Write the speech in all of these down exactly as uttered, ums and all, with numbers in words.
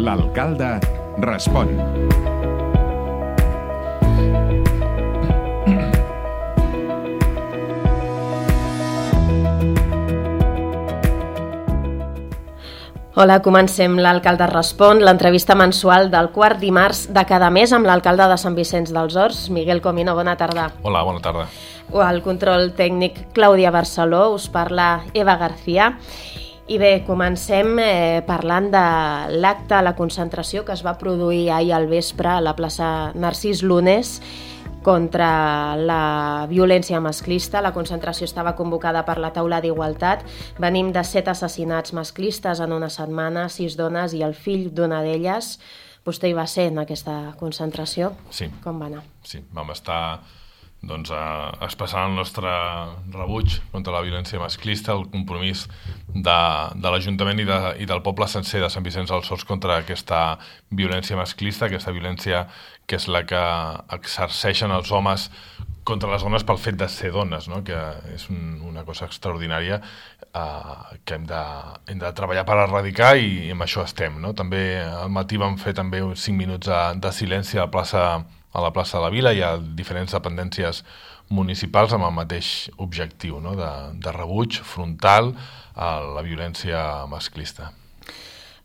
L'alcalde respon. Hola, comencem l'Alcalde Respon, l'entrevista mensual del quart dimarts de cada mes amb l'alcalde de Sant Vicenç dels Horts, Miguel Comino. Bona tarda. Hola, bona tarda. Al control tècnic, Clàudia Barceló, us parla Eva García. I bé, comencem eh, parlant de l'acte, la concentració que es va produir ahir al vespre a la plaça Narcís Lunes contra la violència masclista. La concentració estava convocada per la taula d'igualtat. Venim de set assassinats masclistes en una setmana, sis dones i el fill d'una d'elles. Vostè hi va ser en aquesta concentració? Sí. Com va anar? Sí, vam estar doncs, a, expressant el nostre rebuig contra la violència masclista, el compromís de, de l'Ajuntament i, de, i del poble sencer de Sant Vicenç dels Horts contra aquesta violència masclista, aquesta violència que és la que exerceixen els homes contra les dones pel fet de ser dones, no? Que és un, una cosa extraordinària eh, que hem de, hem de treballar per erradicar i, i amb això estem, no? També al matí vam fer també uns cinc minuts de, de silenci a la plaça a la plaça de la Vila. Hi ha diferents dependències municipals amb el mateix objectiu, no? de, de rebuig frontal a la violència masclista.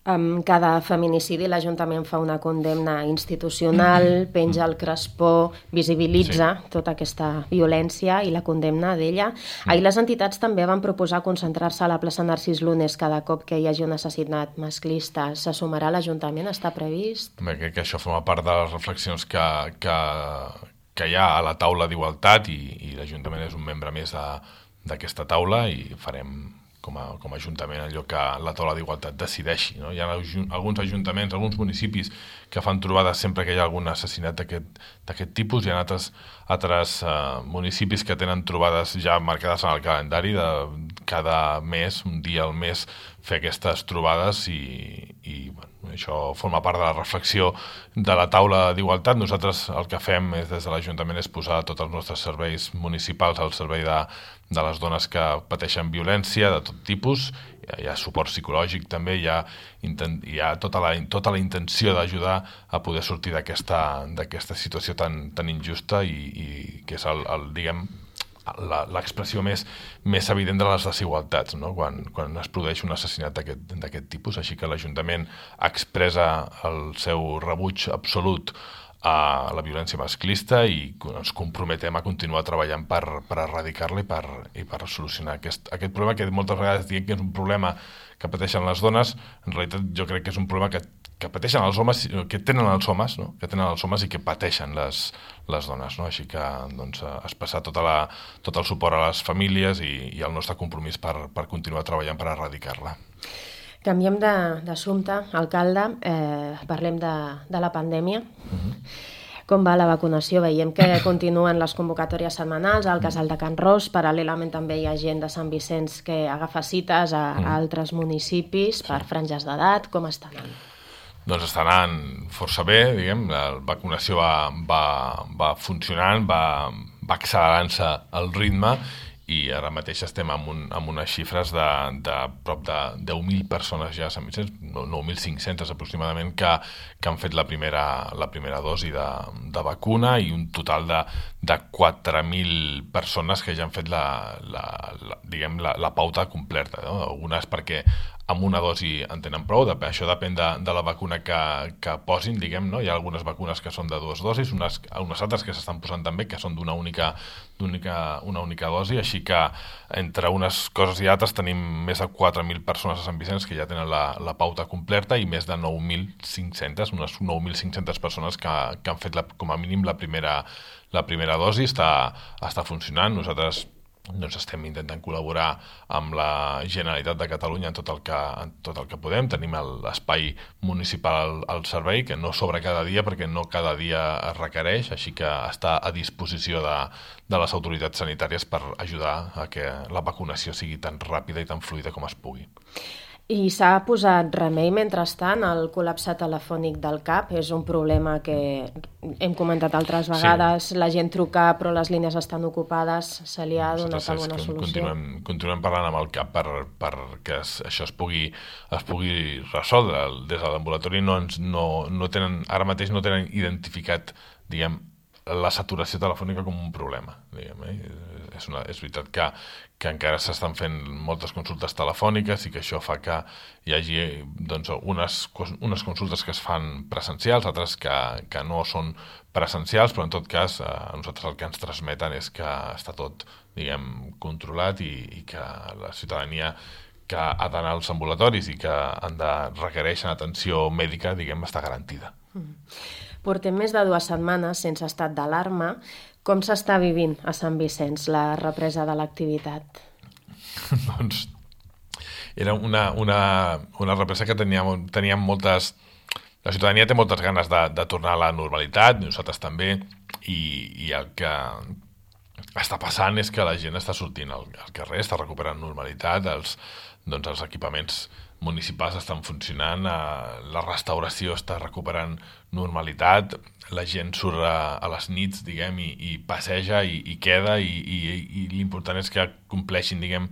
Amb cada feminicidi l'Ajuntament fa una condemna institucional, penja el crespó, visibilitza sí. tota aquesta violència i la condemna d'ella. Ahir les entitats també van proposar concentrar-se a la plaça Narcís Lunes cada cop que hi hagi un assassinat masclista. Se sumarà l'Ajuntament? Està previst? Bé, crec que això forma part de les reflexions que, que, que hi ha a la taula d'igualtat i, i l'Ajuntament és un membre més d'aquesta taula i farem com a, com a Ajuntament allò que la taula d'igualtat decideixi, no? Hi ha alguns ajuntaments, alguns municipis que fan trobades sempre que hi ha algun assassinat d'aquest tipus. Hi ha altres, altres uh, municipis que tenen trobades ja marcades en el calendari de cada mes, un dia al mes, fer aquestes trobades i, i bueno, això forma part de la reflexió de la taula d'igualtat. Nosaltres el que fem és, des de l'Ajuntament és posar tots els nostres serveis municipals al servei de, de les dones que pateixen violència de tot tipus. Hi ha suport psicològic també, hi ha, hi ha tota, la, tota la intenció d'ajudar a poder sortir d'aquesta situació tan, tan injusta i, i que és el, el diguem, l'expressió més, més evident de les desigualtats, no? quan, quan es produeix un assassinat d'aquest tipus. Així que l'Ajuntament expressa el seu rebuig absolut a la violència masclista i ens comprometem a continuar treballant per, per erradicar-la i, per, i per solucionar aquest, aquest problema que moltes vegades diem que és un problema que pateixen les dones. En realitat jo crec que és un problema que, que pateixen els homes, que tenen els homes, no? que tenen els homes i que pateixen les, les dones. No? Així que doncs, expressar tota la, tot el suport a les famílies i, i el nostre compromís per, per continuar treballant per erradicar-la. Canviem d'assumpte, alcalde, eh, parlem de, de la pandèmia. Uh-huh. Com va la vacunació? Veiem que continuen les convocatòries setmanals al Casal de Can Ros. Paral·lelament també hi ha gent de Sant Vicenç que agafa cites a, a altres municipis per franges d'edat. Com està anant? Doncs està anant força bé, diguem. La vacunació va, va, va funcionant, va, va accelerant-se el ritme i ara mateix estem amb, un, amb unes xifres de, de prop de deu mil persones ja a Sant Vicenç, nou mil cinc-centes aproximadament, que, que han fet la primera, la primera dosi de, de vacuna i un total de, de quatre mil persones que ja han fet la, la, la, diguem, la, la pauta completa, no? Algunes perquè amb una dosi en tenen prou, això depèn de, de la vacuna que, que posin, diguem, no? Hi ha algunes vacunes que són de dues dosis, unes, unes altres que s'estan posant també que són d'una única, d'única, una única dosi, així que entre unes coses i altres tenim més de quatre mil persones a Sant Vicenç que ja tenen la, la pauta completa i més de nou mil cinc-centes, unes nou mil cinc-centes persones que, que han fet la, com a mínim la primera, la primera dosi. Està, està funcionant. Nosaltres doncs estem intentant col·laborar amb la Generalitat de Catalunya en tot el que, en tot el que podem. Tenim l'espai municipal al, al servei, que no s'obre cada dia perquè no cada dia es requereix, així que està a disposició de, de les autoritats sanitàries per ajudar a que la vacunació sigui tan ràpida i tan fluida com es pugui. I s'ha posat remei mentrestant al col·lapse telefònic del C A P. És un problema que hem comentat altres vegades. Sí. La gent truca però les línies estan ocupades. Se li ha donat alguna solució? Continuem, continuem parlant amb el C A P per, per que es, això es pugui, es pugui resoldre. Des de l'ambulatori no, ens, no, no tenen, ara mateix no tenen identificat, diguem, la saturació telefònica com un problema, diguem, eh? És, una, és veritat que, que encara s'estan fent moltes consultes telefòniques i que això fa que hi hagi doncs, unes, unes consultes que es fan presencials, altres que, que no són presencials, però en tot cas a nosaltres el que ens transmeten és que està tot, diguem, controlat i, i que la ciutadania que ha d'anar als ambulatoris i que han de requereixen atenció mèdica, diguem, està garantida. Mm. Portem més de dues setmanes sense estat d'alarma. Com s'està vivint a Sant Vicenç la represa de l'activitat? Doncs era una, una, una represa que teníem, teníem moltes... La ciutadania té moltes ganes de, de tornar a la normalitat, nosaltres també, i, i el que està passant és que la gent està sortint al, al carrer, està recuperant normalitat, els, doncs els equipaments municipals estan funcionant, eh, la restauració està recuperant normalitat, la gent surt a, a les nits, diguem, i, i passeja i, i queda, i, i, i l'important és que compleixin, diguem,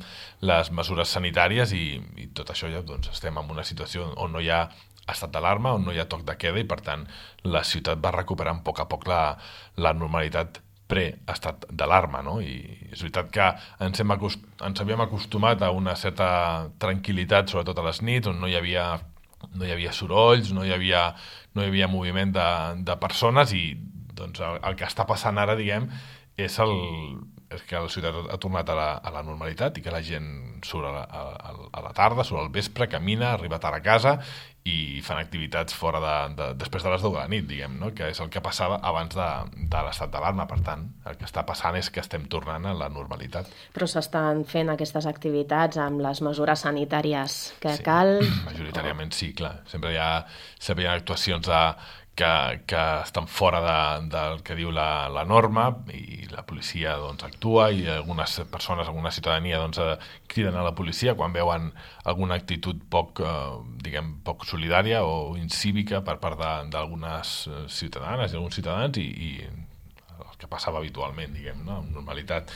les mesures sanitàries i, i tot això ja doncs, estem en una situació on no hi ha estat d'alarma, on no hi ha toc de queda i per tant la ciutat va recuperant a poc a poc la, la normalitat pre-estat d'alarma, no? I és veritat que ens, hem acost... ens havíem acostumat a una certa tranquil·litat, sobretot a les nits, on no hi havia, no hi havia sorolls, no hi havia, no hi havia moviment de, de persones i doncs, el, el que està passant ara, diguem, és, el, és que la ciutat ha tornat a la, a la normalitat i que la gent surt a la, a, a la tarda, surt al vespre, camina, arriba tard a casa i fan activitats fora de, de, després de les deu de la nit, diguem, no? Que és el que passava abans de, de l'estat d'alarma. Per tant, el que està passant és que estem tornant a la normalitat. Però s'estan fent aquestes activitats amb les mesures sanitàries que sí, cal? Majoritàriament sí, clar. Sempre hi ha, sempre hi ha actuacions de, que, que estan fora de, del que diu la, la norma i la policia doncs, actua i algunes persones, alguna ciutadania doncs, criden a la policia quan veuen alguna actitud poc, eh, diguem, poc solidària o incívica per part d'algunes ciutadanes i alguns ciutadans i, i el que passava habitualment, diguem, no? Amb normalitat.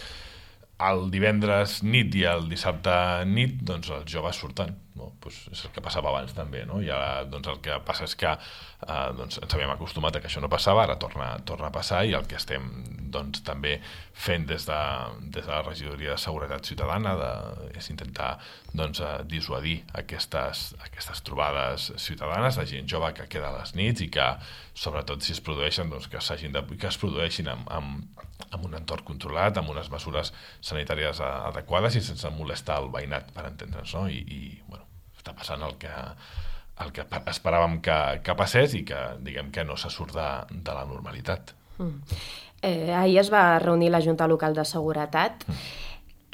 El divendres nit i el dissabte nit, doncs els joves surten, no? Pues és el que passava abans també, no? I ara doncs, el que passa és que eh, doncs, ens havíem acostumat a que això no passava, ara torna, torna a passar i el que estem doncs, també fent des de, des de la Regidoria de Seguretat Ciutadana de, és intentar doncs, dissuadir aquestes, aquestes trobades ciutadanes de gent jove que queda a les nits i que sobretot si es produeixen doncs, que, de, que es produeixin amb, amb, amb un entorn controlat, amb unes mesures sanitàries adequades i sense molestar el veïnat, per entendre'ns, no? I, i bueno, està passant el que, el que esperàvem que, que passés i que, diguem, que no se surt de, de la normalitat. Mm. Eh, ahir es va reunir la Junta Local de Seguretat. Mm.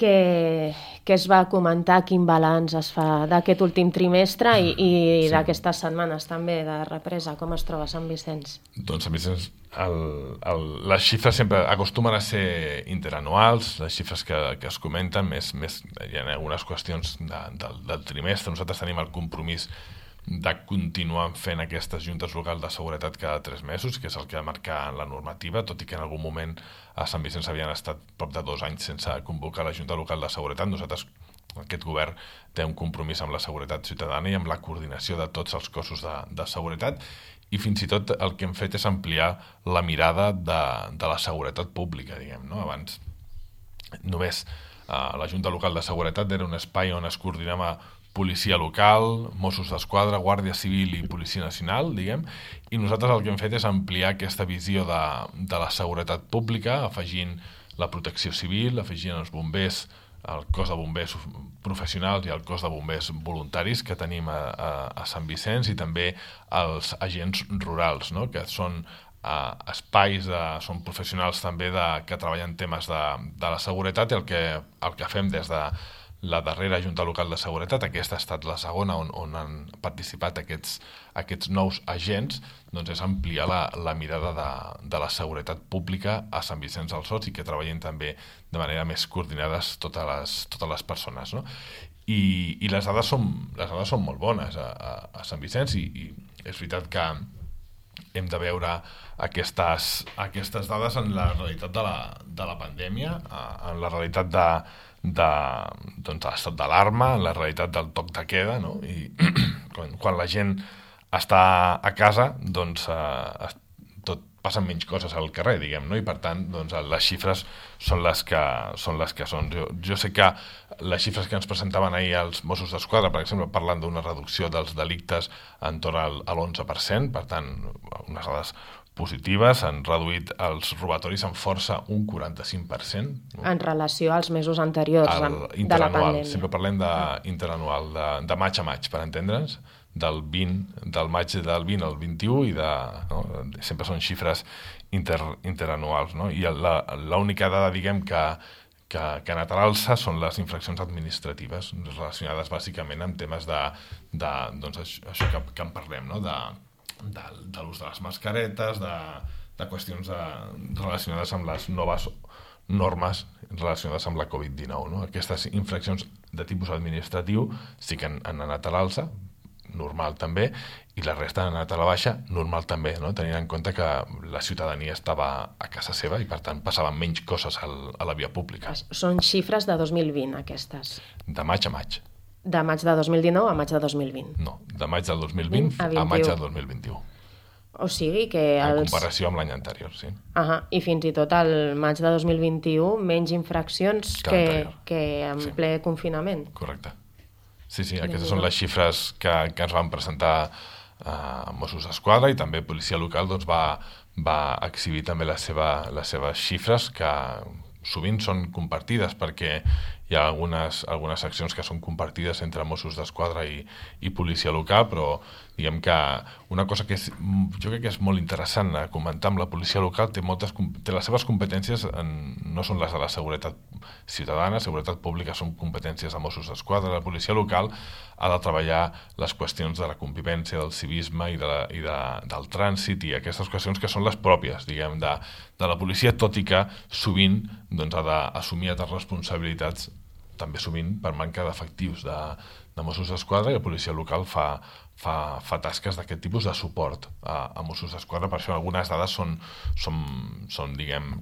Que, que es va comentar quin balanç es fa d'aquest últim trimestre i, i sí. d'aquestes setmanes també de represa. Com es troba Sant Vicenç? Doncs Sant Vicenç, el, el, les xifres sempre acostumen a ser interanuals, les xifres que, que es comenten, més, més, hi ha algunes qüestions de, del, del trimestre. Nosaltres tenim el compromís de continuar fent aquestes juntes locals de seguretat cada tres mesos, que és el que ha marcat la normativa, tot i que en algun moment a Sant Vicenç havien estat prop de dos anys sense convocar la Junta Local de Seguretat. Nosaltres, aquest govern, té un compromís amb la seguretat ciutadana i amb la coordinació de tots els cossos de, de seguretat i fins i tot el que hem fet és ampliar la mirada de, de la seguretat pública, diguem, no? Abans només eh, la Junta Local de Seguretat era un espai on es coordinava policia local, Mossos d'Esquadra, Guàrdia Civil i Policia Nacional, diguem, i nosaltres el que hem fet és ampliar aquesta visió de, de la seguretat pública, afegint la protecció civil, afegint els bombers, el cos de bombers professionals i el cos de bombers voluntaris que tenim a, a, a Sant Vicenç i també els agents rurals, no? Que són uh, espais, de, són professionals també de, que treballen temes de, de la seguretat i el que, el que fem des de la darrera Junta Local de Seguretat, aquesta ha estat la segona on, on han participat aquests, aquests nous agents, doncs és ampliar la, la mirada de, de la seguretat pública a Sant Vicenç dels Horts i que treballin també de manera més coordinades totes les, totes les persones, no? i, i les, dades són, les dades són molt bones a, a, a Sant Vicenç i, i és veritat que hem de veure aquestes, aquestes dades en la realitat de la, de la pandèmia, en la realitat de, de, doncs, de l'estat d'alarma, en la realitat del toc de queda, no? I quan, quan la gent està a casa, doncs eh, tot passen menys coses al carrer, diguem, no? I per tant, doncs, les xifres són les que són. Les que són. Jo, jo sé que les xifres que ens presentaven ahir els Mossos d'Esquadra, per exemple, parlant d'una reducció dels delictes en torn al, a l'onze per cent, per tant, unes dades positives, han reduït els robatoris en força un quaranta-cinc per cent. No? En relació als mesos anteriors de la pandèmia. Sempre parlem d'interanual, de, de maig a maig, per entendre'ns, del vint, del maig del vint al vint-i-u i de, no? Sempre són xifres inter, interanuals, no? I l'única dada, diguem, que, que, que ha anat a l'alça són les infraccions administratives relacionades bàsicament amb temes de, de doncs això, això que, que en parlem, no? de, de, de l'ús de les mascaretes, de, de qüestions de, relacionades amb les noves normes relacionades amb la covid dinou, no? Aquestes infraccions de tipus administratiu sí que han, han anat a l'alça, normal també, i la resta han anat a la baixa, normal també, no? Tenint en compte que la ciutadania estava a casa seva i per tant passaven menys coses al, a la via pública. Són xifres de dos mil vint aquestes? De maig a maig. De maig de dos mil dinou a maig de dos mil vint? No, de maig del dos mil vint a, a maig del dos mil vint-i-u. O sigui que... Els... En comparació amb l'any anterior, sí. Ahà, i fins i tot al maig de dos mil vint-i-u menys infraccions que, que, que en sí. ple confinament. Correcte. Sí, sí, aquestes són les xifres que, que ens van presentar eh, Mossos d'Esquadra i també Policia Local doncs, va, va exhibir també la seva, les seves xifres que sovint són compartides perquè hi ha algunes, algunes accions que són compartides entre Mossos d'Esquadra i, i Policia Local, però diguem que una cosa que és, jo crec que és molt interessant a comentar amb la policia local, té, moltes, té les seves competències, en, no són les de la seguretat ciutadana, seguretat pública són competències de Mossos d'Esquadra, la policia local ha de treballar les qüestions de la convivència, del civisme i, de la, i de, del trànsit i aquestes qüestions que són les pròpies, diguem, de, de la policia, tot i que sovint doncs, ha d'assumir altres responsabilitats, també sovint per manca d'efectius de, de Mossos d'Esquadra, i la policia local fa, fa, fa tasques d'aquest tipus de suport a, a Mossos d'Esquadra. Per això algunes dades són, són, són diguem,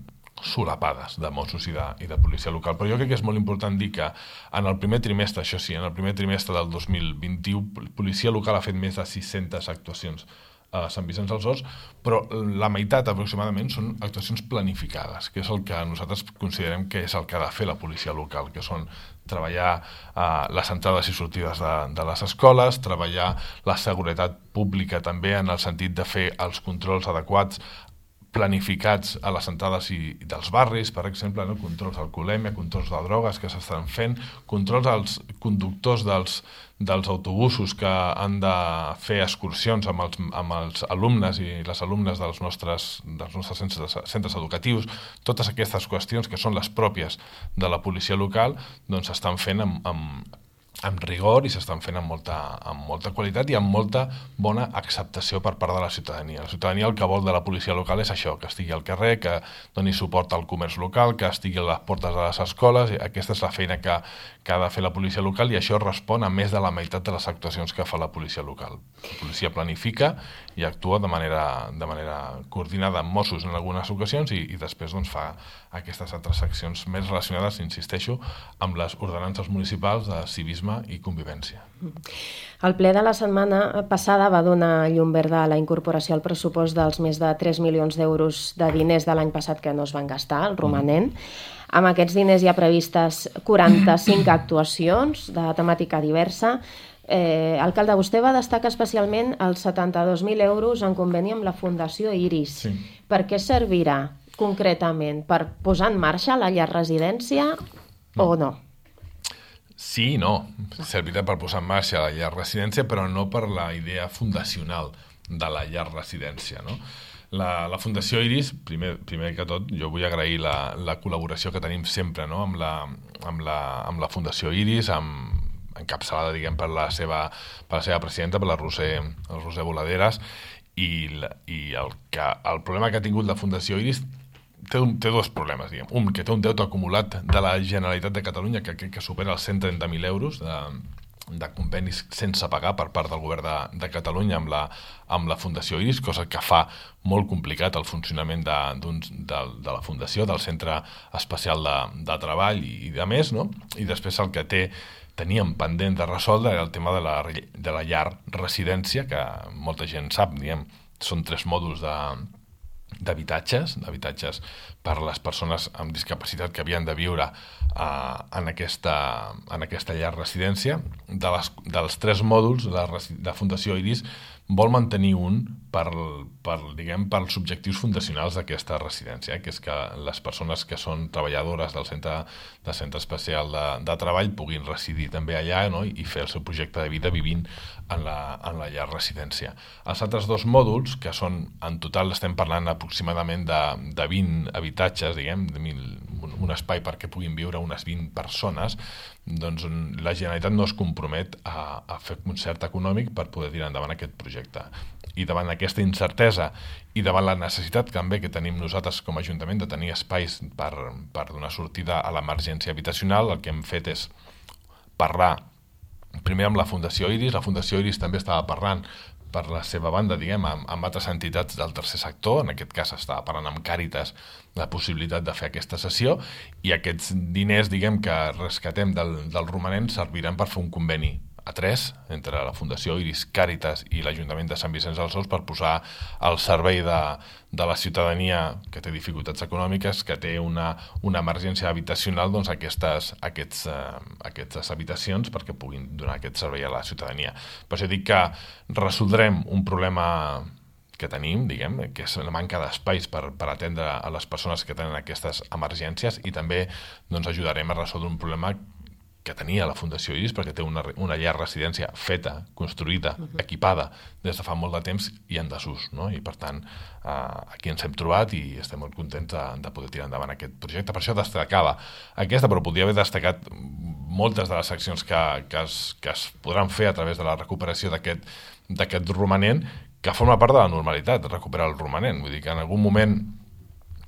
solapades de Mossos i de, i de policia local. Però jo crec que és molt important dir que en el primer trimestre, això sí, en el primer trimestre del dos mil vint-i-u, policia local ha fet més de sis-centes actuacions a Sant Vicenç dels Horts, però la meitat aproximadament són actuacions planificades, que és el que nosaltres considerem que és el que ha de fer la policia local, que són treballar eh, les entrades i sortides de, de les escoles, treballar la seguretat pública també en el sentit de fer els controls adequats planificats a les entrades i, i dels barris, per exemple, no? Controls d'alcoholèmia, controls de drogues que s'estan fent, controls als conductors dels, dels autobusos que han de fer excursions amb els, amb els alumnes i les alumnes dels nostres, dels nostres centres, centres educatius. Totes aquestes qüestions que són les pròpies de la policia local doncs s'estan fent amb, amb amb rigor i s'estan fent amb molta, amb molta qualitat i amb molta bona acceptació per part de la ciutadania. La ciutadania el que vol de la policia local és això, que estigui al carrer, que doni suport al comerç local, que estigui a les portes de les escoles. Aquesta és la feina que, que ha de fer la policia local i això respon a més de la meitat de les actuacions que fa la policia local. La policia planifica i actua de manera, de manera coordinada amb Mossos en algunes ocasions i, i després doncs, fa aquestes altres accions més relacionades, insisteixo, amb les ordenances municipals de civisme i convivència. El ple de la setmana passada va donar llum verda a la incorporació al pressupost dels més de tres milions d'euros de diners de l'any passat que no es van gastar, el romanent. Mm. Amb aquests diners hi ha previstes quaranta-cinc actuacions de temàtica diversa. Eh, alcalde, vostè va destacar especialment els setanta-dos mil euros en conveni amb la Fundació Iris. Sí. Per què servirà concretament? Per posar en marxa la llar residència no. o no? Sí i no. Servirà per posar en marxa la llar residència, però no per la idea fundacional de la llar residència, no? La, la Fundació Iris, primer, primer que tot, jo vull agrair la, la col·laboració que tenim sempre, no? amb, la, amb, la, amb la Fundació Iris, amb, encapçalada diguem, per, la seva, per la seva presidenta, per la Roser, el Roser Voladeres, i, la, i el, que, el problema que ha tingut la Fundació Iris té, un, té dos problemes, diguem. Un, que té un deute acumulat de la Generalitat de Catalunya que, que, que supera els cent trenta mil euros de, de convenis sense pagar per part del govern de, de Catalunya amb la, amb la Fundació Iris, cosa que fa molt complicat el funcionament de, de, de la Fundació, del Centre Especial de, de Treball i, i de més, no? I després el que té teníem pendent de resoldre era el tema de la, de la llar residència, que molta gent sap, diguem, són tres mòduls de d'habitatges, d'habitatges per a les persones amb discapacitat que havien de viure uh, en, aquesta, en aquesta llar residència. De les, dels tres mòduls, la, la Fundació Iris vol mantenir un per, per, diguem, pels objectius fundacionals d'aquesta residència, que és que les persones que són treballadores del centre, del centre especial de, de treball puguin residir també allà, no? I fer el seu projecte de vida vivint en la, en la llar residència. Els altres dos mòduls, que són, en total estem parlant aproximadament de, de vint habitatges, diguem, de mil, un, un espai perquè puguin viure unes vint persones, doncs la Generalitat no es compromet a, a fer concert econòmic per poder tirar endavant aquest projecte. I davant aquesta incertesa i davant la necessitat també que tenim nosaltres com a Ajuntament de tenir espais per, per donar sortida a l'emergència habitacional, el que hem fet és parlar primer amb la Fundació Iris. La Fundació Iris també estava parlant per la seva banda, diguem, amb, amb altres entitats del tercer sector. En aquest cas estava parlant amb Càritas la possibilitat de fer aquesta sessió, i aquests diners, diguem, que rescatem del, del romanent serviran per fer un conveni a tres entre la Fundació Iris, Càritas i l'Ajuntament de Sant Vicenç dels Horts per posar al servei de, de la ciutadania que té dificultats econòmiques, que té una, una emergència habitacional, doncs aquestes, aquests, eh, aquestes habitacions perquè puguin donar aquest servei a la ciutadania. Per això dic que resoldrem un problema que tenim, diguem, que és la manca d'espais per, per atendre a les persones que tenen aquestes emergències, i també doncs, ajudarem a resoldre un problema que tenia la Fundació Iris, perquè té una, una llar residència feta, construïda, uh-huh. equipada des de fa molt de temps i en desús, no? I per tant eh, aquí ens hem trobat i estem molt contents de, de poder tirar endavant aquest projecte. Per això destacava aquesta, però podria haver destacat moltes de les accions que, que, es, que es podran fer a través de la recuperació d'aquest d'aquest romanent, que forma part de la normalitat, recuperar el romanent. Vull dir que en algun moment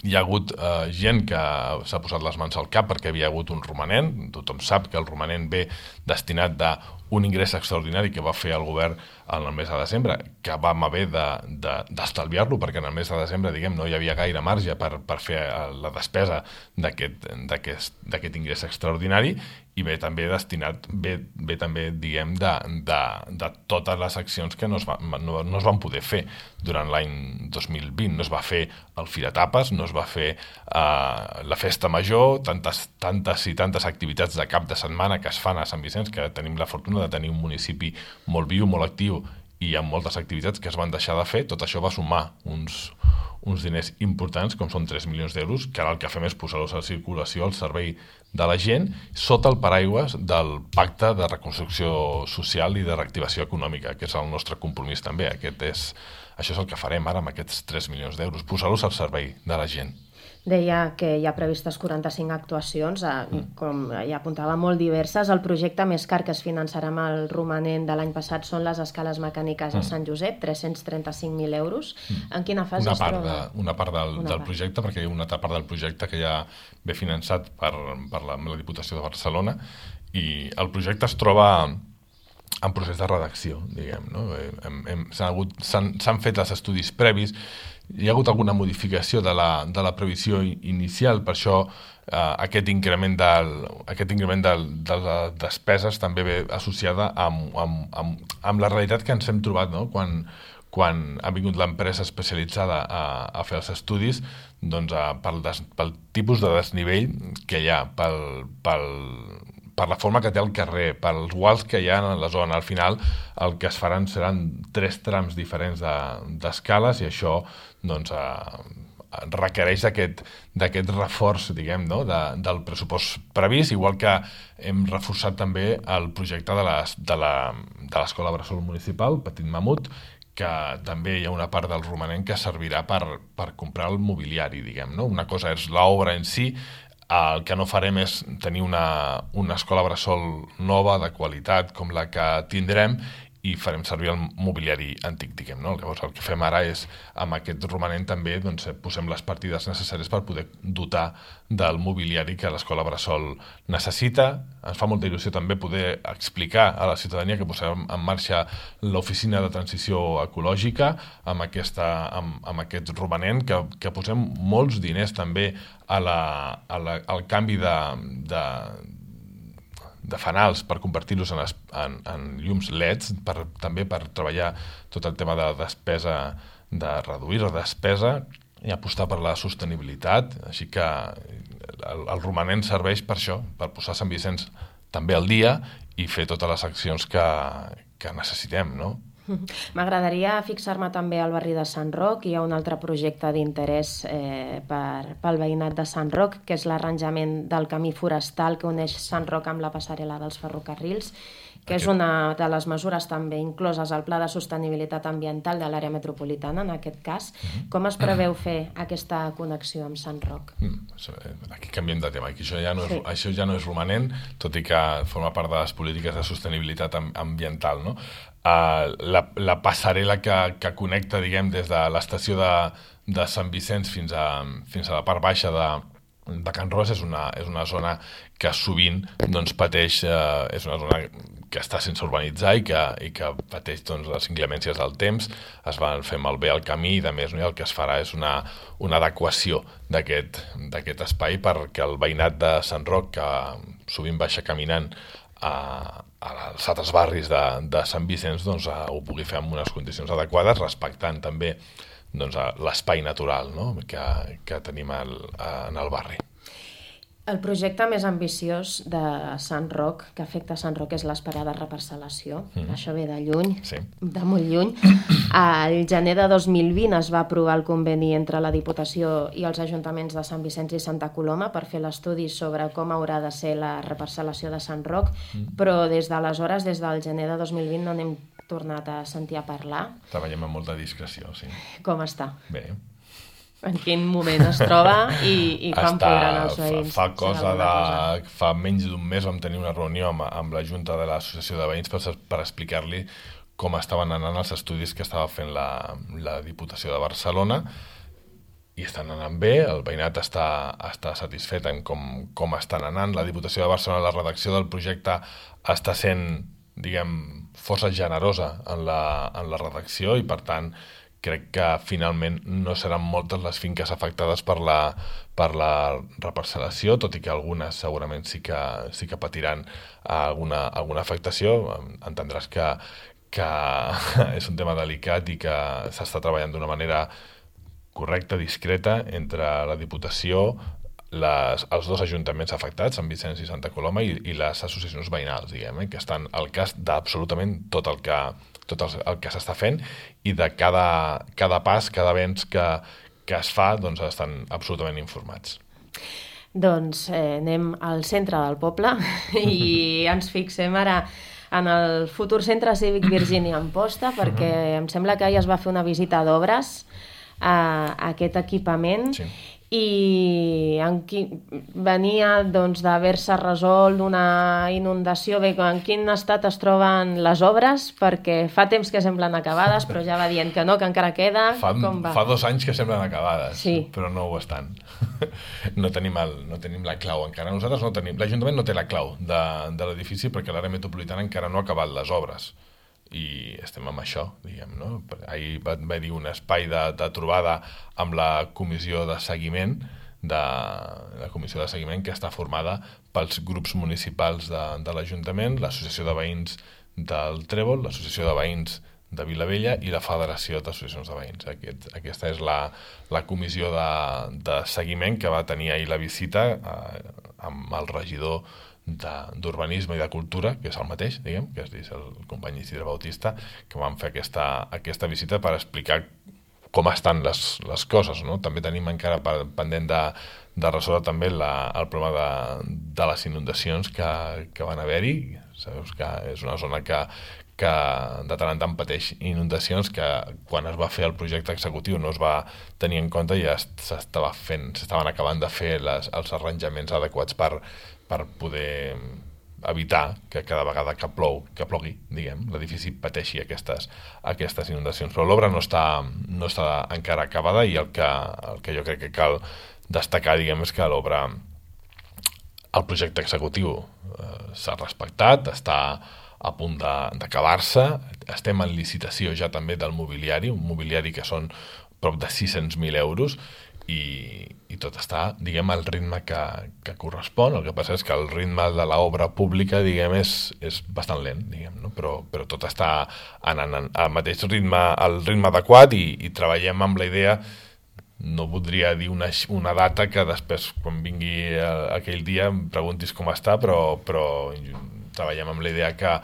hi ha hagut eh, gent que s'ha posat les mans al cap perquè havia hagut un romanent. Tothom sap que el romanent ve destinat d'un ingrés extraordinari que va fer el govern en el mes de desembre, que vam haver d'estalviar-lo, de, de, perquè en el mes de desembre, diguem, no hi havia gaire marge per, per fer la despesa d'aquest ingrés extraordinari, i ve també destinat, ve, ve també, diguem, de, de, de totes les accions que no es, va, no, no es van poder fer durant l'any dos mil vint. No es va fer el Fira Tapes, no es va fer uh, la Festa Major, tantes, tantes i tantes activitats de cap de setmana que es fan a Sant Vicenç, que tenim la fortuna de tenir un municipi molt viu, molt actiu, i amb moltes activitats que es van deixar de fer. Tot això va sumar uns, uns diners importants, com són tres milions d'euros, que ara el que fem és posar-los a circulació al servei de la gent, sota el paraigües del Pacte de Reconstrucció Social i de Reactivació Econòmica, que és el nostre compromís també. Aquest és, això és el que farem ara amb aquests tres milions d'euros, posar-los al servei de la gent. Deia que hi ha previstes quaranta-cinc actuacions, mm. com ja apuntava, molt diverses. El projecte més car que es finançarà amb el romanent de l'any passat són les escales mecàniques mm. a Sant Josep, tres-cents trenta-cinc mil euros. Mm. En quina fase una es part troba? De, una part del, una del part. projecte, perquè hi ha una altra part del projecte que ja ve finançat per, per la, la Diputació de Barcelona, i el projecte es troba en procés de redacció, diguem, no? Hem, hem, s'han, s'han fet els estudis previs. Hi ha hagut alguna modificació de la, de la previsió inicial, per això eh, aquest increment, del, aquest increment del, de les despeses també ve associada amb, amb, amb, amb la realitat que ens hem trobat, no? quan, quan ha vingut l'empresa especialitzada a, a fer els estudis, doncs, a, pel, des, pel tipus de desnivell que hi ha, pel, pel, per la forma que té el carrer, pels guals que hi ha en la zona. Al final el que es faran seran tres trams diferents d'escales, de, i això doncs, eh, requereix d'aquest reforç, diguem, no? de, del pressupost previst, igual que hem reforçat també el projecte de l'Escola Bressol Municipal, Petit Mamut, que també hi ha una part del romanent que servirà per, per comprar el mobiliari, diguem, no? Una cosa és l'obra en si. El que no farem és tenir una, una escola bressol nova, de qualitat, com la que tindrem, i farem servir el mobiliari antic, diguem, no? Llavors el que fem ara és, amb aquest romanent també, doncs, posem les partides necessàries per poder dotar del mobiliari que l'escola Bressol necessita. Ens fa molta il·lusió també poder explicar a la ciutadania que posem en marxa l'oficina de transició ecològica amb, aquesta, amb, amb aquest romanent, que, que posem molts diners també a la, a la, al canvi de, de de fanals per convertir-los en, en, en llums L E Ds, per, també per treballar tot el tema de despesa, de reduir la despesa i apostar per la sostenibilitat. Així que el, el romanent serveix per això, per posar Sant Vicenç també al dia i fer totes les accions que, que necessitem, no? M'agradaria fixar-me també al barri de Sant Roc. Hi ha un altre projecte d'interès eh, per, pel veïnat de Sant Roc, que és l'arranjament del camí forestal que uneix Sant Roc amb la passarel·la dels ferrocarrils, que és una de les mesures també incloses al Pla de Sostenibilitat Ambiental de l'àrea metropolitana, en aquest cas. Com es preveu fer aquesta connexió amb Sant Roc? Aquí canviem de tema. Aquí això, ja no és, sí. això ja no és romanent, tot i que forma part de les polítiques de sostenibilitat ambiental, no? Uh, la, la passarel·la que, que connecta, diguem, des de l'estació de, de Sant Vicenç fins a, fins a la part baixa de, de Can Ros és una, és una zona que sovint doncs, pateix, uh, és una zona que està sense urbanitzar i que, i que pateix doncs, les inclemències del temps. Es van fer malbé el camí i, de més, no? El que es farà és una, una adequació d'aquest espai perquè el veïnat de Sant Roc, que sovint baixa caminant a, als altres barris de, de Sant Vicenç, doncs, a, ho pugui fer en unes condicions adequades, respectant també doncs, l'espai natural, no? que, que tenim al, en el barri. El projecte més ambiciós de Sant Roc, que afecta Sant Roc, és l'esperada reparcel·lació. Mm. Això ve de lluny, sí. de molt lluny. Al gener de dos mil vint es va aprovar el conveni entre la Diputació i els ajuntaments de Sant Vicenç i Santa Coloma per fer l'estudi sobre com haurà de ser la reparcel·lació de Sant Roc, mm. però des d'aleshores, des del gener de dos mil vint, no n'hem tornat a sentir a parlar. Treballem amb molta discreció, sí. Com està? Bé. En quin moment es troba i, i com Està, podran els veïns? Fa, fa, cosa de, cosa. fa menys d'un mes vam tenir una reunió amb, amb la Junta de l'Associació de Veïns per, per explicar-li com estaven anant els estudis que estava fent la, la Diputació de Barcelona, i estan anant bé, el veïnat està, està satisfet en com, com estan anant. La Diputació de Barcelona, la redacció del projecte està sent, diguem, força generosa en la, en la redacció i, per tant, crec que finalment no seran moltes les finques afectades per la, per la reparcel·lació, tot i que algunes segurament sí que, sí que patiran alguna, alguna afectació. Entendràs que, que és un tema delicat i que s'està treballant d'una manera correcta, discreta, entre la Diputació, les, els dos ajuntaments afectats, Sant Vicenç i Santa Coloma, i, i les associacions veïnals, diguem, eh, que estan al cas d'absolutament tot el que tot el, el que s'està fent, i de cada, cada pas, cada avenç que, que es fa, doncs estan absolutament informats. Doncs eh, anem al centre del poble i ens fixem ara en el futur centre cívic Virgínia Amposta, perquè em sembla que ahir es va fer una visita d'obres a aquest equipament. Sí. I en qui... venia doncs, d'haver-se resolt una inundació. Bé, en quin estat es troben les obres? Perquè fa temps que semblen acabades, però ja va dient que no, que encara queda. Fa, Com va? fa dos anys que semblen acabades, sí. Però no ho estan. No tenim, el, no tenim la clau encara. Nosaltres no tenim... L'Ajuntament no té la clau de, de l'edifici perquè l'àrea metropolitana encara no ha acabat les obres. I estem amb això, diguem, no? Ahir va haver-hi un espai de, de trobada amb la comissió de seguiment, de, la comissió de seguiment que està formada pels grups municipals de, de l'Ajuntament, l'Associació de Veïns del Trèvol, l'Associació de Veïns de Vilavella i la Federació d'Associacions de Veïns. Aquest, aquesta és la, la comissió de, de seguiment que va tenir ahir la visita eh, amb el regidor d'Urbanisme i de Cultura, que és el mateix, diguem, que és el company Isidre Bautista, que van fer aquesta, aquesta visita per explicar com estan les, les coses, no? També tenim encara pendent de, de resoldre també la, el problema de, de les inundacions que, que van haver-hi. Sabeu que és una zona que, que de tant en tant pateix inundacions, que quan es va fer el projecte executiu no es va tenir en compte i ja s'estava fent, s'estaven acabant de fer les, els arranjaments adequats per per poder evitar que cada vegada que plou, que plogui, diguem, l'edifici pateixi aquestes, aquestes inundacions. Però l'obra no està, no està encara acabada i el que, el que jo crec que cal destacar, diguem, és que l'obra, el projecte executiu eh, s'ha respectat, està a punt d'acabar-se, estem en licitació ja també del mobiliari, un mobiliari que són prop de sis-cents mil euros, i, i tot està, diguem, al ritme que, que correspon. El que passa és que el ritme de l'obra pública, diguem, és, és bastant lent, diguem, no? però, però tot està anant al mateix ritme, al ritme adequat, i, i treballem amb la idea, no voldria dir una, una data que després, quan vingui aquell dia, em preguntis com està, però, però treballem amb la idea que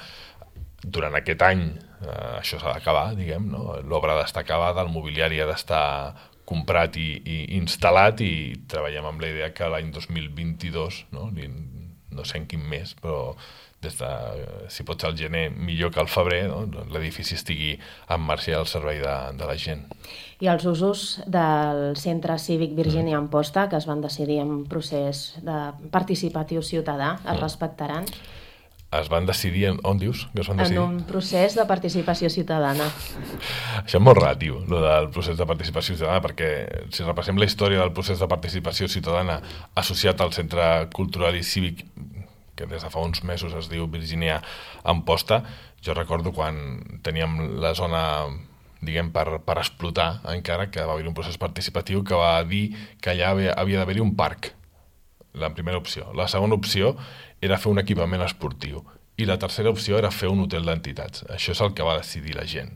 durant aquest any eh, això s'ha d'acabar, diguem, no? L'obra ha d'estar acabada, el mobiliari ha d'estar comprat i, i instal·lat, i treballem amb la idea que l'any dos mil vint-i-dos, no? no sé en quin mes, però des de, si pot ser el gener, millor que el febrer, no? L'edifici estigui en marxa al servei de, de la gent. I els usos del Centre Cívic Virgínia mm. Amposta, que es van decidir en procés de participatiu ciutadà, es mm. respectaran? Es van decidir, en, on dius que es van decidir? En un procés de participació ciutadana. Això és molt relatiu, el del procés de participació ciutadana, perquè si repassem la història del procés de participació ciutadana associat al Centre Cultural i Cívic, que des de fa uns mesos es diu Virgínia Amposta, jo recordo quan teníem la zona, diguem, per, per explotar encara, que va haver un procés participatiu que va dir que allà havia, havia d'haver-hi un parc, la primera opció. La segona opció era fer un equipament esportiu, i la tercera opció era fer un hotel d'entitats. Això és el que va decidir la gent.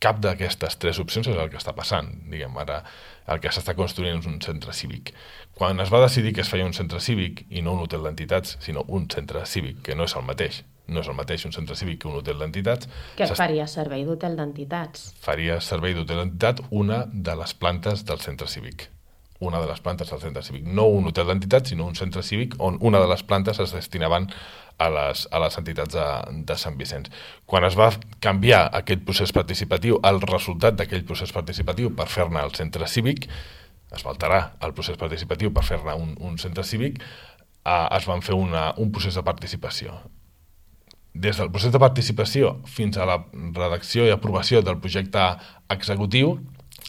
Cap d'aquestes tres opcions és el que està passant. Diguem, ara el que s'està construint és un centre cívic. Quan es va decidir que es feia un centre cívic i no un hotel d'entitats, sinó un centre cívic, que no és el mateix, no és el mateix un centre cívic que un hotel d'entitats. Que faria servei d'hotel d'entitats? Faria servei d'hotel d'entitat una de les plantes del centre cívic. una de les plantes del centre cívic. No un hotel d'entitats, sinó un centre cívic on una de les plantes es destinaven a les, a les entitats de, de Sant Vicenç. Quan es va canviar aquest procés participatiu, el resultat d'aquell procés participatiu per fer-ne el centre cívic, es va alterar el procés participatiu per fer-ne un, un centre cívic, eh, es van fer una, un procés de participació. Des del procés de participació fins a la redacció i aprovació del projecte executiu,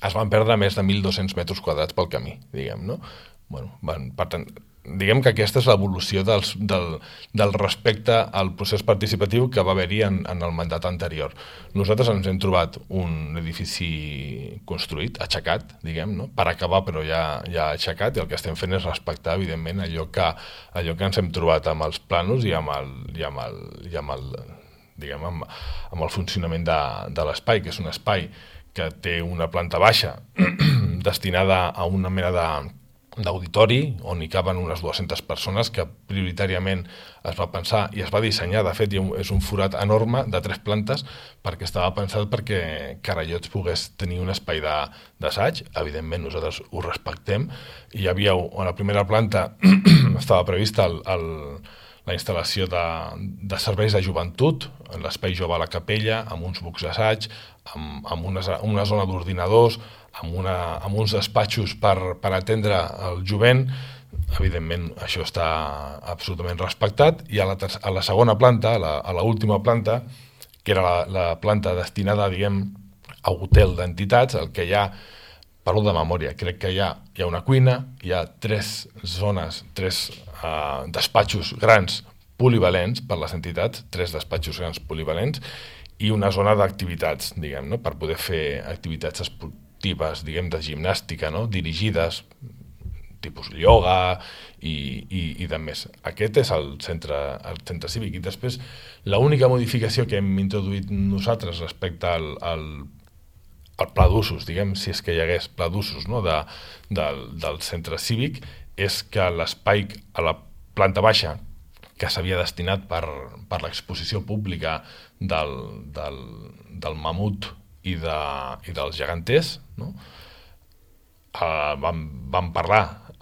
es van perdre més de mil dos-cents metres quadrats pel camí, diguem, no? Bueno, van, per tant, diguem que aquesta és l'evolució del, del respecte al procés participatiu que va haver-hi en, en el mandat anterior. Nosaltres ens hem trobat un edifici construït, aixecat, diguem, no? Per acabar, però ja, ja aixecat, i el que estem fent és respectar, evidentment, allò que, allò que ens hem trobat amb els planos i amb el, i amb el, i amb el, diguem, amb, amb el funcionament de, de l'espai, que és un espai que té una planta baixa destinada a una mena de d'auditori, on hi caben unes dues-centes persones, que prioritàriament es va pensar i es va dissenyar, de fet és un forat enorme de tres plantes, perquè estava pensat perquè Carallots pogués tenir un espai d'assaig. Evidentment nosaltres ho respectem, i hi havia, a la primera planta estava prevista el, el, la instal·lació de, de serveis de joventut, en l'espai jove a la capella, amb uns bucs d'assaig, amb, amb una, una zona d'ordinadors, amb, una, amb uns despatxos per, per atendre el jovent. Evidentment això està absolutament respectat, i a la, a la segona planta, a la, a la última planta, que era la, la planta destinada, diguem, a hotel d'entitats, el que hi ha, parlo de memòria, crec que hi ha, hi ha una cuina, hi ha tres zones, tres uh, despatxos grans polivalents per les entitats, tres despatxos grans polivalents, i una zona d'activitats, diguem, no? Per poder fer activitats esportives, diguem, de gimnàstica, no? Dirigides, tipus ioga i, i, i de més. Aquest és el centre, el centre cívic. I després, l'única modificació que hem introduït nosaltres respecte al, al, al pla d'usos, diguem, si és que hi hagués pla d'usos, no? de, del, del centre cívic, és que l'espai a la planta baixa, que s'havia destinat per, per l'exposició pública del, del, del mamut i, de, i dels geganters, no? Uh, vam, vam parlar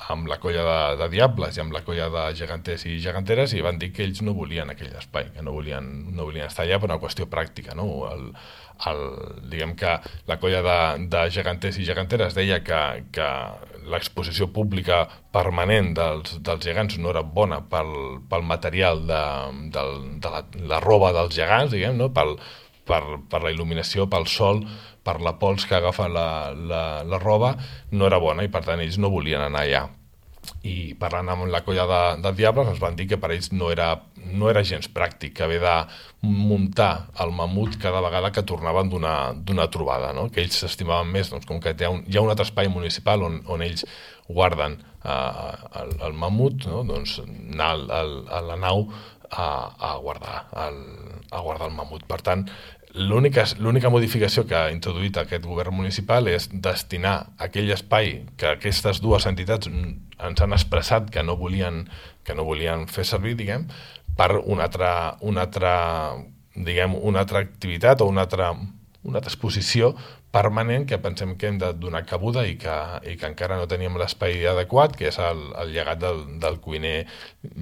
amb la colla de, de Diables i amb la colla de geganters i geganteres i van dir que ells no volien aquell espai, que no volien, no volien estar allà per una qüestió pràctica, no? El, el, diguem que la colla de, de geganters i geganteres deia que, que l'exposició pública permanent dels, dels gegants no era bona pel, pel material de, de, de la, la roba dels gegants, diguem, no? Pel, per, per la il·luminació, pel sol, per la pols que agafa la, la, la roba, no era bona i per tant ells no volien anar allà. I parlant amb la colla de, de Diables ens van dir que per ells no era, no era gens pràctic haver de muntar el mamut cada vegada que tornaven d'una trobada, no? Que ells s'estimaven més, doncs, com que hi ha, un, hi ha un altre espai municipal on, on ells guarden eh, el, el mamut, no? Doncs anar al, al, a la nau a, a, guardar el, a guardar el mamut. Per tant, l'única l'única modificació que ha introduït aquest govern municipal és destinar aquell espai que aquestes dues entitats ens han expressat que no volien, que no volien fer servir, diguem, per una altra, una altra, diguem, una altra activitat o una altra, una altra exposició permanent que pensem que hem de donar cabuda i que, i que encara no teníem l'espai adequat, que és el, el llegat del, del cuiner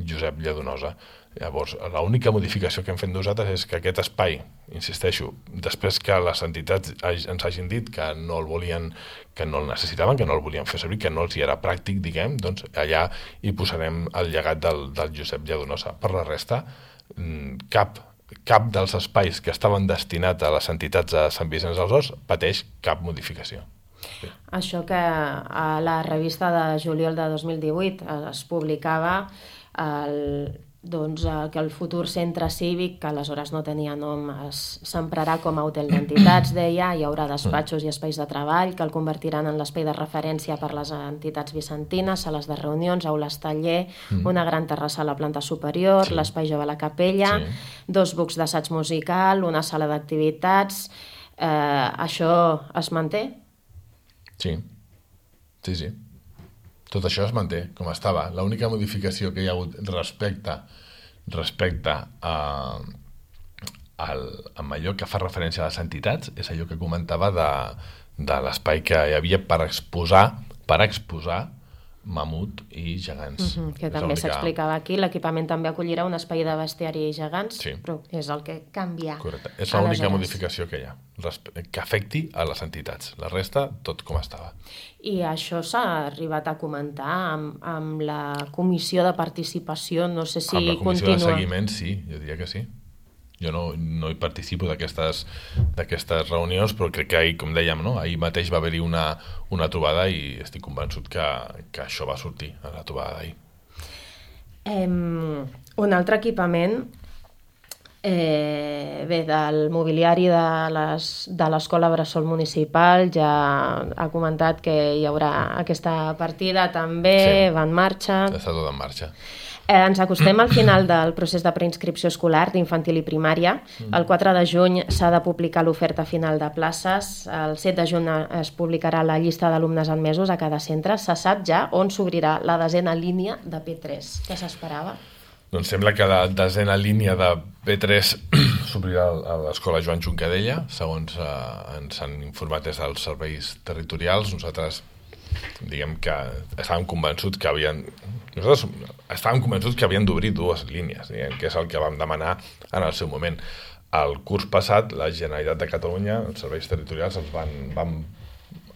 Josep Lladonosa. Llavors, l'única modificació que hem fet nosaltres és que aquest espai, insisteixo, després que les entitats ens hagin dit que no el volien, que no el necessitaven, que no el volien fer servir, que no els hi era pràctic, diguem, doncs allà hi posarem el llegat del, del Josep Lladonosa. Per la resta, cap, cap dels espais que estaven destinats a les entitats de Sant Vicenç dels Horts pateix cap modificació. Sí. Això que a la revista de juliol de dos mil divuit es publicava el... doncs, eh, que el futur centre cívic, que aleshores no tenia nom, s'emprarà com a hotel d'entitats, deia, hi haurà despatxos i espais de treball que el convertiran en l'espai de referència per les entitats vicentines, sales de reunions, aules taller, mm. una gran terrassa a la planta superior, sí. l'espai jove a la capella, sí. dos bucs d'assaig musical, una sala d'activitats... Eh, això es manté? Sí, sí, sí. Tot això es manté com estava. L'única modificació que hi ha hagut respecte, respecte a, al, a allò que fa referència a les entitats és allò que comentava de, de l'espai que hi havia per exposar, per exposar mamut i gegants. Uh-huh, que també s'explicava aquí. L'equipament també acollirà un espai de bestiari i gegants, sí. però és el que canvia. Correcte. És l'única modificació que hi ha, que afecti a les entitats. La resta, tot com estava. I això s'ha arribat a comentar amb, amb la comissió de participació, no sé si continua. Amb la comissió continua. de seguiment, sí, jo diria que sí. Jo no, no hi participo d'aquestes reunions, però crec que ahir, com dèiem, no? Ahir mateix va haver-hi una, una trobada i estic convençut que, que això va sortir a la trobada d'ahir. Um, un altre equipament, eh, bé, del mobiliari de l'Escola Bressol Municipal, ja ha comentat que hi haurà aquesta partida també, sí. va en marxa. Està tot en marxa. Eh, ens acostem al final del procés de preinscripció escolar d'infantil i primària. El quatre de juny s'ha de publicar l'oferta final de places. El set de juny es publicarà la llista d'alumnes admesos a cada centre. Se sap ja on s'obrirà la desena línia de P tres. Què s'esperava? Doncs sembla que la desena línia de P tres s'obrirà a l'escola Joan Juncadella, segons eh, ens han informat des dels serveis territorials. Nosaltres diguem que estàvem convençuts que havien nosaltres estàvem convençuts que havien d'obrir dues línies, diguem, que és el que vam demanar en el seu moment. El curs passat, la Generalitat de Catalunya, els serveis territorials, els van, van,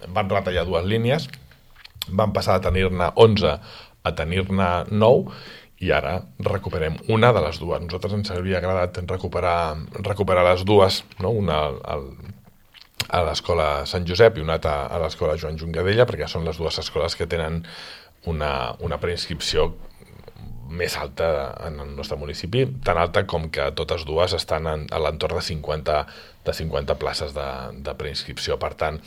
van retallar dues línies, van passar a tenir-ne onze a tenir-ne nou, i ara recuperem una de les dues. Nosaltres ens havia agradat recuperar, recuperar les dues, no? Una al, a l'escola Sant Josep i una altra a l'escola Joan Juncadella, perquè són les dues escoles que tenen una, una preinscripció més alta en el nostre municipi, tan alta com que totes dues estan en, a l'entorn de cinquanta, de cinquanta places de, de preinscripció. Per tant,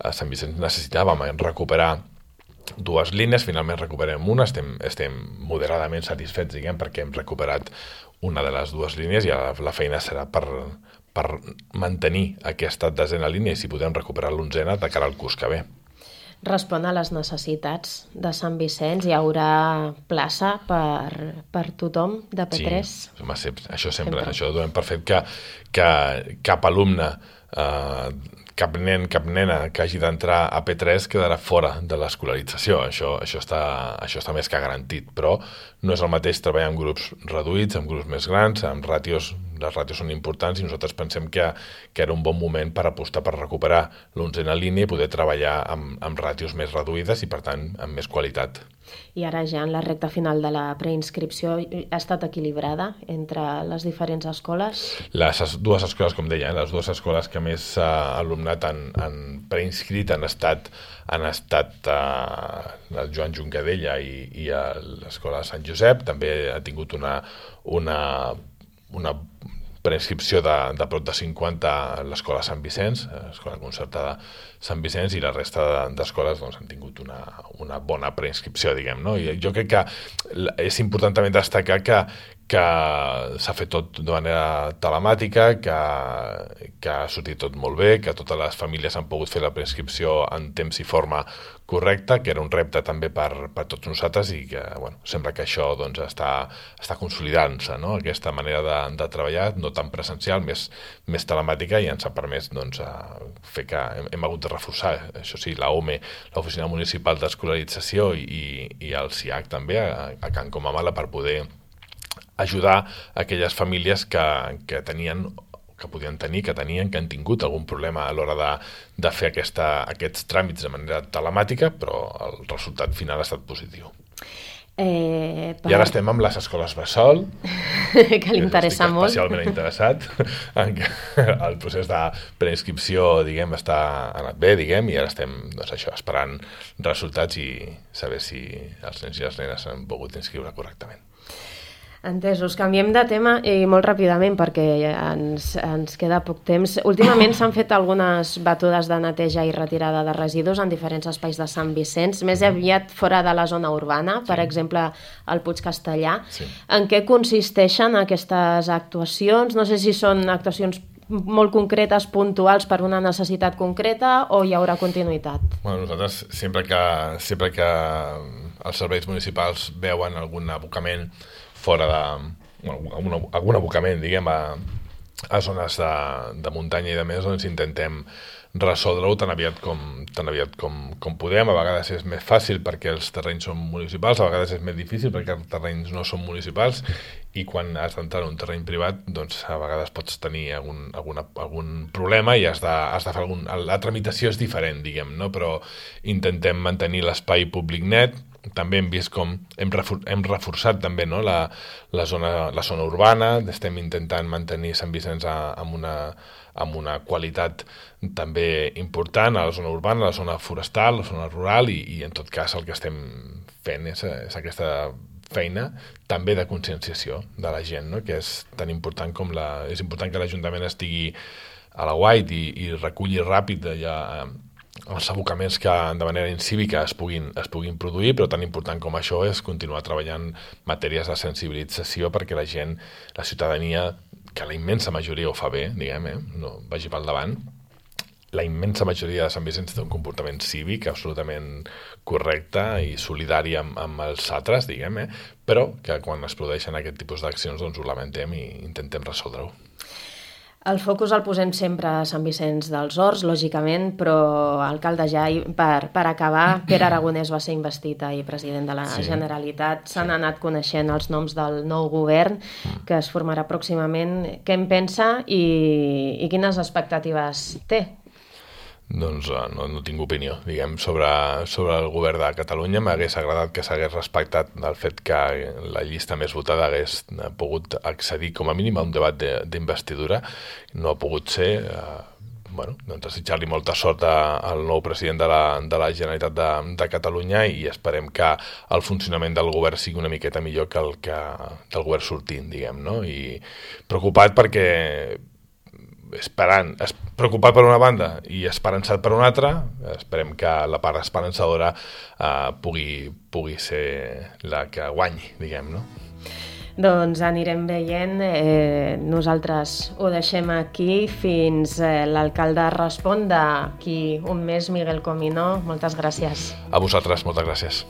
a Sant Vicenç necessitàvem recuperar dues línies, finalment recuperem una, estem, estem moderadament satisfets, diguem, perquè hem recuperat una de les dues línies i la, la feina serà per, per mantenir aquesta desena línia i si podem recuperar l'onzena de cara al curs que ve. Respon a les necessitats de Sant Vicenç? Hi haurà plaça per, per tothom de P tres? Sí, home, sempre, això sempre, sempre. Això donem per fet que, que cap alumne eh, cap nen, cap nena que hagi d'entrar a P tres quedarà fora de l'escolarització. Això, això, està, això està més que garantit, però no és el mateix treballar en grups reduïts, en grups més grans, amb ràtios, les ràtios són importants i nosaltres pensem que, que era un bon moment per apostar per recuperar l'onzena línia i poder treballar amb, amb ràtios més reduïdes i, per tant, amb més qualitat. I ara ja en la recta final de la preinscripció ha estat equilibrada entre les diferents escoles? Les dues escoles, com deia, les dues escoles que més uh, alumnat han, han preinscrit han estat, han estat uh, el Joan Juncadella i, i l'escola Sant Josep. També ha tingut una, una, una preinscripció de, de prop de cinquanta a l'escola Sant Vicenç, l'escola concertada Sant Vicenç, i la resta d'escoles doncs, han tingut una, una bona preinscripció, diguem, no? I jo crec que és important també destacar que, que s'ha fet tot de manera telemàtica, que, que ha sortit tot molt bé, que totes les famílies han pogut fer la preinscripció en temps i forma correcta, que era un repte també per, per tots nosaltres i que bueno, sembla que això doncs, està, està consolidant-se, no? Aquesta manera de, de treballar, no tan presencial, més, més telemàtica, i ens ha permès doncs, fer que hem, hem hagut de reforçar, això sí, la O M E, l'Oficina Municipal d'Escolarització, i, i el C I A C també, a, a Can Comamala, per poder ajudar aquelles famílies que, que tenien que podien tenir, que tenien, que han tingut algun problema a l'hora de, de fer aquesta, aquests tràmits de manera telemàtica, però el resultat final ha estat positiu. Eh, per... I ara estem amb les escoles bressol, que li interessa molt. Estic especialment interessat en que el procés de preinscripció, diguem, està anat bé, diguem, i ara estem, doncs això, esperant resultats i saber si els nens i les nenes han pogut inscriure correctament. Entesos. Canviem de tema i molt ràpidament perquè ens, ens queda poc temps. Últimament s'han fet algunes batudes de neteja i retirada de residus en diferents espais de Sant Vicenç, més aviat fora de la zona urbana, per sí. exemple, al Puig Castellà. Sí. En què consisteixen aquestes actuacions? No sé si són actuacions molt concretes, puntuals per una necessitat concreta, o hi haurà continuïtat? Bueno, nosaltres, sempre que, sempre que els serveis municipals veuen algun abocament fora de... Bueno, algun, algun abocament, diguem, a, a zones de, de muntanya i de més, doncs intentem resoldre-ho tan aviat, com, tan aviat com, com podem. A vegades és més fàcil perquè els terrenys són municipals, a vegades és més difícil perquè els terrenys no són municipals, i quan has d'entrar en un terreny privat, doncs a vegades pots tenir algun, alguna, algun problema i has de, has de fer algun... La tramitació és diferent, diguem, no? Però intentem mantenir l'espai públic net. També hem vist com hem, refor hem reforçat també, no? la, la, zona, la zona urbana, estem intentant mantenir Sant Vicenç a, amb, una, amb una qualitat també important a la zona urbana, a la zona forestal, a la zona rural, i, i en tot cas el que estem fent és, és aquesta feina també de conscienciació de la gent, no? Que és tan important com la... És important que l'Ajuntament estigui a la guait i, i reculli ràpid ja els abocaments que de manera incívica es puguin, es puguin produir, però tan important com això és continuar treballant matèries de sensibilització perquè la gent, la ciutadania, que la immensa majoria ho fa bé, diguem, eh? No vagi pel davant, la immensa majoria de Sant Vicenç té un comportament cívic absolutament correcte i solidari amb, amb els altres, diguem, eh? Però que quan es produeixen aquest tipus d'accions doncs ho lamentem i intentem resoldre-ho. El focus el posem sempre a Sant Vicenç dels Horts, lògicament, però alcalde ja, per, per acabar, Pere Aragonès va ser investit ahir president de la sí. Generalitat. S'han sí. anat coneixent els noms del nou govern que es formarà pròximament. Què en pensa i, i quines expectatives té? Doncs no, no tinc opinió, diguem, sobre, sobre el govern de Catalunya. M'hagués agradat que s'hagués respectat el fet que la llista més votada hagués pogut accedir com a mínim a un debat d'investidura. No ha pogut ser. Eh, bueno, doncs desitjar-li molta sort al nou president de la, de la Generalitat de, de Catalunya, i esperem que el funcionament del govern sigui una miqueta millor que el que del govern sortint, diguem, no? I preocupat perquè esperant, es, preocupat per una banda i esperançat per una altra, esperem que la part esperançadora eh, pugui, pugui ser la que guanyi, diguem, no? Doncs anirem veient. Eh, nosaltres ho deixem aquí fins eh, l'alcalde respon d'aquí un mes, Miguel Comino. Moltes gràcies. A vosaltres, moltes gràcies.